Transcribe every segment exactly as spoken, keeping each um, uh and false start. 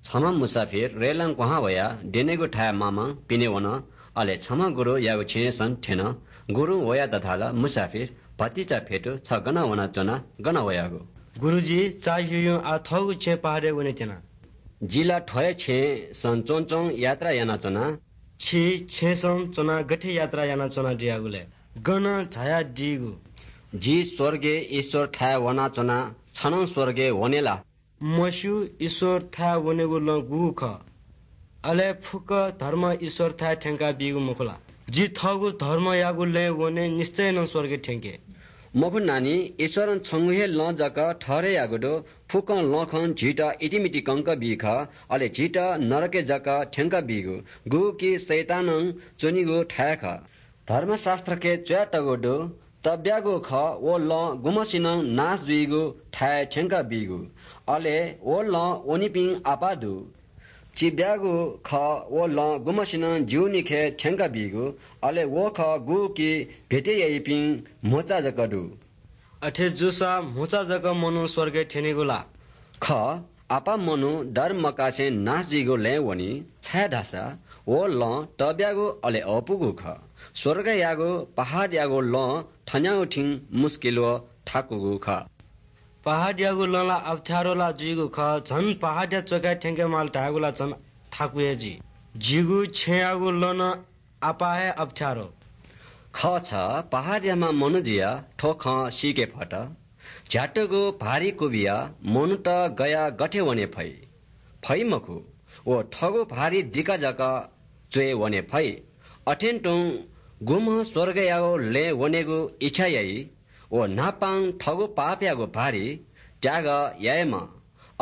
छम्ह मुसाफिर रेलं क्वहां वयाः द्यनेगु थाय् मामां पिने वन। अले छम्ह गुरुयागु छेँय् सं थ्यन। गुरुं वयात धाल, "मुसाफिर, भतिचा फेतु, छ गन वनाच्वना, गन वयागु?" "गुरुजी, चाःह्युयुं आः थःगु छेँ पहाडय् वने त्यना।" "जि ला थ्व हे छेँय् सं च्वंच्वं यात्रा यानाच्वना।" "छि छेँय् सं च्वनाः गथे यात्रा यानाच्वनादियागु लय्? गन झायादीगु?" "जि स्वर्गय् ईश्वरथाय् वनाच्वना, छ नं स्वर्गय् वने ला?" "मस्यू, ईश्वरथाय् वनेगु लँ गुगु खः? अले फुक्क धर्म ईश्वरथाय् थ्यंकाबीगु मखु ला? जि थःगु धर्मयागु लँय् वने निश्चयं नं स्वर्गय् थ्यंके।" "मखु नानी, ईश्वरं छंगु हे लँ जक ठहरय् याःगु दु। फुक्कं लँखं झीत इतिमिति कंक बी खः, अले झीत नरकय् जक थ्यंक बीगु, गुगु कि शैतानं च्वनीगु थाय् खः। धर्मशास्त्रखे च्वयातःगु दु, तब्यागु खः व लँ गुम्हसिनं नाश जुइगु थाय् थ्यंक बीगु। अले व लँ वनीपिं आपाः दु। चिब्यागु खः व लँ गुम्हसिनं जीवनीखे थ्यंक बीगु, अले व खः गुगु कि भेटी याइपिं म्हुचा जक दु।" "अथे जूसा म्हुचा जक मनू स्वर्गय् थ्यनीगु ला?" "खः, आपाः मनू दर मकासे नाश जुइगु लँय् वनी, छाय्धाःसा व लँ तब्यागु अले अःपुगु खः। स्वर्गयागु पहाडयागु लँ थन्यागु थिं मुस्किल व थाकुगु खः।" "पहाडयागु लँ ला अप्ठ्यारो ला जुइगु खः, झन पहाडया च्वकाय् थ्यंके माल धायेगु ला झन थाकु हे जुइ। जिगु छेँयागु लँ नं आपाः हे अप्ठ्यारो।" "खः, छ पहाडयाम्ह मनू जुयाः थ्व खँ सीके फत। झ्यातुगु भारी क्वबिया मनूत गया गथे वने फइ? फइ मखु, व थःगु भारी दिका जक च्वय् वने फइ। अथें तुं गुम्ह स्वर्गयागु लँय् वनेगु इच्छा याइ, व न्हापां थःगु पापयागु भारी त्याग यायेमा,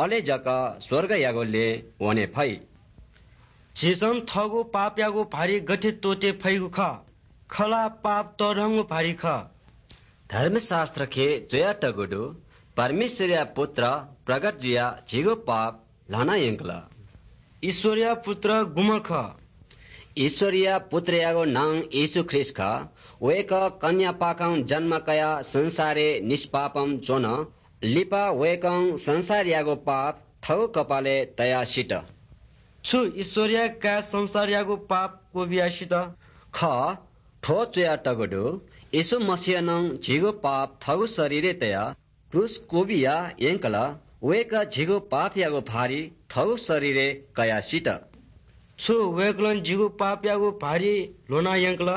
अले जक स्वर्गयागु लँय् वने फइ।" "झीसं थःगु पापयागु भारी गथे त्वःते फइगु खः? खला पाप तःधंगु भारी खः।" "धर्मशास्त्रखे च्वयातःगु दु, परमेश्वरया पुत्र प्रगट जुयाः झीगु पाप ल्हाना यंकल।" "ईश्वरया पुत्र गुम्ह खः?" "ईश्वरया पुत्रयागु नां येशू ख्रीष्ट खः। वय्कः कन्यापाखें जन्म कयाः संसारय् निष्पापं च्वन। लिपा वय्कलं संसारयागु पाप थःगु कपालय् तयाः सित।" "छु ईश्वरया काय् संसारयागु पाप क्वबिया सित?" "खः, थ्व च्वयातःगु दु, येशू मसीहं नं झीगु पाप थःगु शरीरय् तयाः क्रूस क्वबिया यंकल। वय्कः झीगु पापयागु भारी थःगु शरीरय् कयाः सित।" "छु वय्कलं जिगु पापयागु भारी ल्ह्वना यंकल?"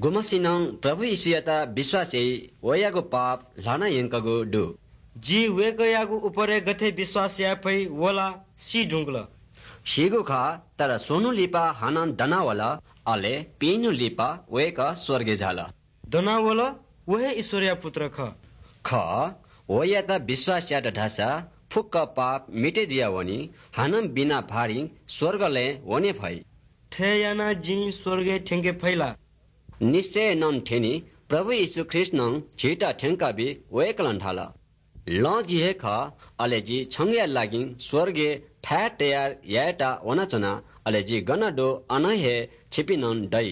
"गुम्हसिनं प्रभु येशूयात विश्वास याइ, वयागु पाप ल्हाना यंकूगु दु।" "जि वय्कःयागु उपरय् गथे विश्वास याये फइ, व ला सी धुंकल।" "सीगु खः, तर स्वन्हु लिपा हानं दनावल, अले पीन्हु लिपा वय्कः स्वर्गय् झाल।" "दनावल, व हे ईश्वरया पुत्र खः।" "खः, वयात विश्वास यात धाःसा फुक्क पाप मिते जुयावनी, हानं बिना भारिं स्वर्गलय् वने फइ।" "थथे यानाः जिं स्वर्गय् थ्यंके फइ ला?" "निश्चयं नं थ्यनी, प्रभु येशू ख्रीष्टं झीत थ्यंकाबी।" वय्कलं धाल, "लँ जि हे खः, अले जि छंगया लागिं स्वर्गय् थाय् तयार यायेत वनाच्वना, अले जि गन दु अन हे छिपिं नं दइ।"